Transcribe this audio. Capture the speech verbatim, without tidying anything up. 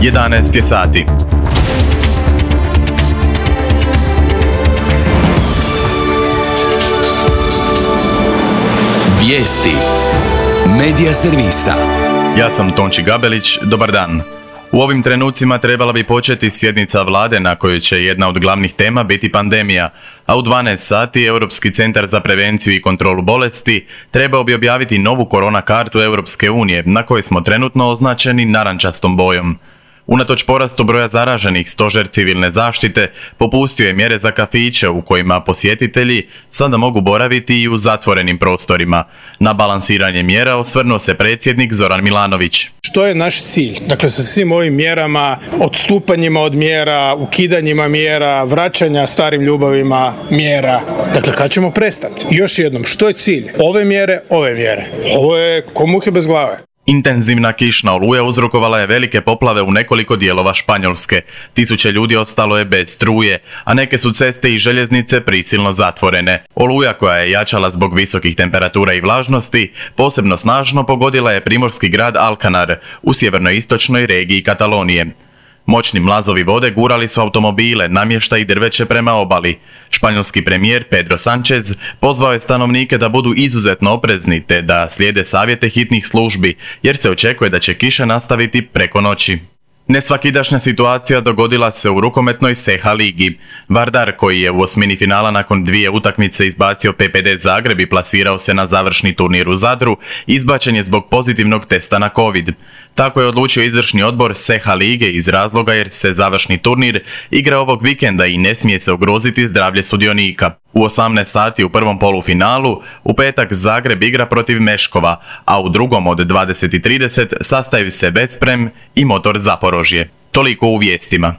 jedanaest je sati. Vijesti Medija servisa. Ja sam Tonči Gabelić, dobar dan. U ovim trenucima trebala bi početi sjednica vlade na kojoj će jedna od glavnih tema biti pandemija, a u dvanaest sati Europski centar za prevenciju i kontrolu bolesti trebao bi objaviti novu korona kartu Europske unije, na kojoj smo trenutno označeni narančastom bojom. Unatoč porastu broja zaraženih, stožer civilne zaštite popustio je mjere za kafiće u kojima posjetitelji sada mogu boraviti i u zatvorenim prostorima. Na balansiranje mjera osvrnuo se predsjednik Zoran Milanović. Što je naš cilj? Dakle, sa svim ovim mjerama, odstupanjima od mjera, ukidanjima mjera, vraćanja starim ljubavima mjera. Dakle, kad ćemo prestati? Još jednom, što je cilj? Ove mjere, ove mjere. Ovo je ko muhe bez glave. Intenzivna kišna oluja uzrokovala je velike poplave u nekoliko dijelova Španjolske. Tisuće ljudi ostalo je bez struje, a neke su ceste i željeznice prisilno zatvorene. Oluja, koja je jačala zbog visokih temperatura i vlažnosti, posebno snažno pogodila je primorski grad Alcanar u sjevernoistočnoj regiji Katalonije. Moćni mlazovi vode gurali su automobile, namještaj i drveće prema obali. Španjolski premijer Pedro Sánchez pozvao je stanovnike da budu izuzetno oprezni te da slijede savjete hitnih službi, jer se očekuje da će kiša nastaviti preko noći. Nesvakidašnja situacija dogodila se u rukometnoj S E H A ligi. Vardar, koji je u osmini finala nakon dvije utakmice izbacio P P D Zagreb i plasirao se na završni turnir u Zadru, izbačen je zbog pozitivnog testa na COVID. Tako je odlučio izvršni odbor S E H A lige iz razloga jer se završni turnir igra ovog vikenda i ne smije se ugroziti zdravlje sudionika. U osamnaest sati u prvom polufinalu u petak Zagreb igra protiv Meškova, a u drugom od dvadeset i trideset sastaju se Veszprem i Motor Zaporožje. Toliko u vijestima.